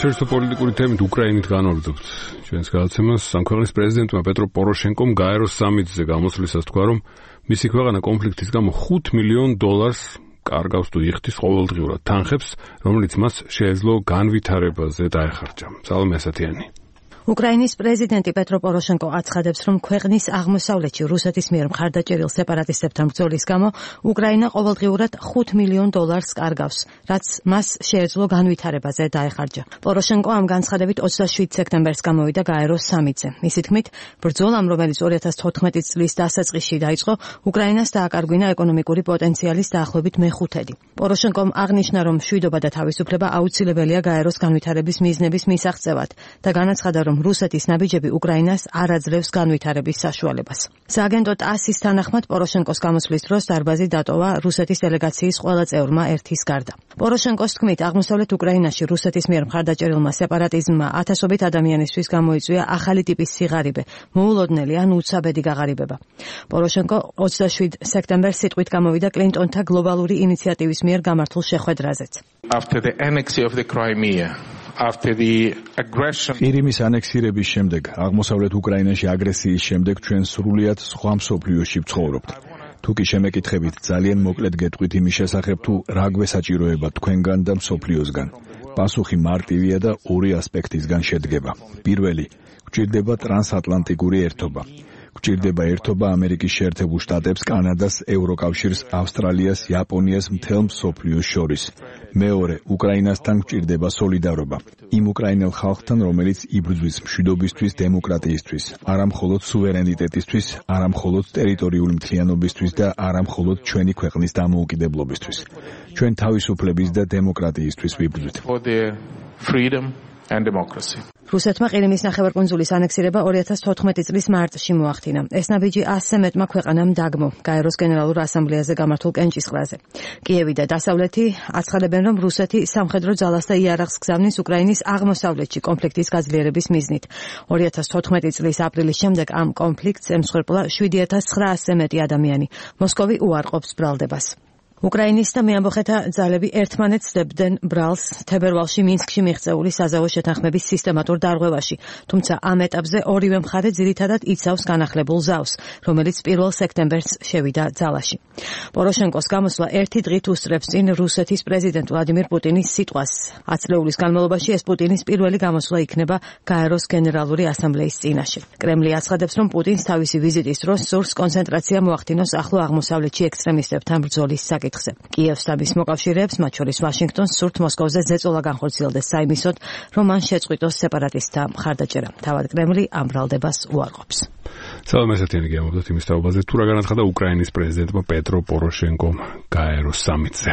საერთო პოლიტიკური თემით უკრაინით განვაგრძობთ ჩვენს გადაცემას. ამ ქვეყნის პრეზიდენტმა პეტრო პოროშენკომ გაეროს სამიტზე გამოსვლისას თქვა, რომ მისი ქვეყანა კონფლიქტის გამო $5 მილიონ კარგავს თუ იხდის ყოველდღიურად თანხებს, რომელიც მას შეეძლო განვითარებაზე დაეხარჯა. სალომე ასათიანი. უკრაინის პრეზიდენტი პეტრო პოროშენკო აცხადებს, რომ ქვეყნის აღმოსავლეთში რუსეთის მიერ მხარდაჭერილ სეპარატისტებთან ბრძოლის გამო უკრაინა ყოველდღიურად $5 მილიონ კარგავს, რაც მას შეეძლო განვითარებაზე დაეხარჯა. პოროშენკო ამ განცხადებით 27 სექტემბერს გამოვიდა გაეროს სამიტზე. მისი თქმით, ბრძოლამ, რომელიც 2014 წლის დასაწყისში დაიწყო, უკრაინას დააკარგვინა ეკონომიკური პოტენციალის დაახლოებით მეხუთედი. პოროშენკომ აღნიშნა, რომ მშვიდობა და თავისუფლება აუცილებელია გაეროს განვითარების მიზნების მისაღწევად და განაცხადა, რომ რუსეთის ნაბიჯები უკრაინას არ აძლევს განვითარების საშუალებას. სააგენტო ტასის თანახმად პოროშენკოს გამოსვლის დროს დარბაზი დატოვა რუსეთის დელეგაციის ყველა წევრმა ერთის გარდა. პოროშენკოს თქმით, აღმოსავლეთ უკრაინაში რუსეთის მიერ მხარდაჭერილმა სეპარატიზმმა ათასობით ადამიანისთვის გამოიწვია ახალი ტიპის სიღარიბე, მოულოდნელი ან უცაბედი გაღარიბება. პოროშენკო 27 სექტემბერს სიტყვით გამოვიდა კლინტონთა გლობალური ინიციატივის მიერ გამართულ შეხვედრაზეც. After the annexation of the Crimea, after the aggression ყირიმის ანექსირების შემდეგ, აღმოსავლეთ უკრაინაში აგრესიის შემდეგ ჩვენ სრულიად სხვა მსოფლიოში ვცხოვრობთ. თუ კი შემეკითხებით, ძალიან მოკლედ გეტყვით იმის შესახებ, თუ რა გვესაჭიროება თქვენგან და მსოფლიოსგან. პასუხი მარტივია და ორი ასპექტისგან შედგება. პირველი, გვჭირდება ტრანსატლანტიკური ერთობა. გვჭირდება ერთობა ამერიკის შეერთებულ შტატებს, კანადას, ევროკავშირს, ავსტრალიას, იაპონიას, მთელ მსოფლიოს შორის. მეორე, უკრაინასთან გვჭირდება სოლიდარობა. იმ უკრაინელ ხალხთან, რომელიც იბრძვის მშვიდობისთვის, დემოკრატიისთვის, არა მხოლოდ სუვერენიტეტისთვის, არა მხოლოდ ტერიტორიული მთლიანობისთვის და არა მხოლოდ ჩვენი ქვეყნის დამოუკიდებლობისთვის. ჩვენ თავისუფლების და დემოკრატიისთვის ვიბრძვით. რუსეთმა ყირიმის ნახევარკუნძულის ანექსირება 2014 წლის მარტში მოახდინა. ეს ნაბიჯი 100 მეტმა ქვეყანამ დაგმო გაეროს გენერალურ ასამბლეაზე გამართულ კენჭისყრაზე. კიევი და დასავლეთი აცხადებენ, რომ რუსეთი სამხედრო ძალას და იარაღს გზავნის უკრაინის აღმოსავლეთში კონფლიქტის გაძლიერების მიზნით. 2014 წლის აპრილის შემდეგ ამ კონფლიქტს ემსხვერპლა 7900 მეტი ადამიანი. მოსკოვი უარყოფს ბრალდებას. უკრაინის და მეამბოხეთა ძალები ერთმანეთს დებდნენ ბრალს თებერვალში მინსკში მიღწეული საზავო შეთანხმების სისტემატურ დარღვევაში, თუმცა ამ ეტაპზე ორივე მხარე ძირითადად იცავს განახლებულ ზავს, რომელიც 1 სექტემბერს შევიდა ძალაში. პოროშენკოს გამოსვლა ერთი დღით უსწრებს წინ რუსეთის პრეზიდენტ ვლადიმირ პუტინის სიტყვას. 10 წლეულის განმავლობაში ეს პუტინის პირველი გამოსვლა იქნება გაეროს გენერალური ასამბლეის წინაშე. კრემლი აცხადებს, რომ პუტინს თავისი ვიზიტის დროს სურს კონცენტრაცია მოახდინოს ახლო აღმოსავლეთში ექსტრემისტებთან ბრძოლის საკითხზე. კიევს და მის მოკავშირეებს, მათ შორის ვაშინგტონს, სურთ მოსკოვზე ზეწოლა განხორციელდეს საიმისოდ, რომ მან შეწყვიტოს სეპარატისტთა მხარდაჭერა. თავად კრემლი ამ ბრალდებას უარყოფს. სალომე ასათიანი გეამბობთ იმის თაობაზე, თუ რა განაცხადა უკრაინის პრეზიდენტმა პეტრო პოროშენკომ გაეროს სამიტზე.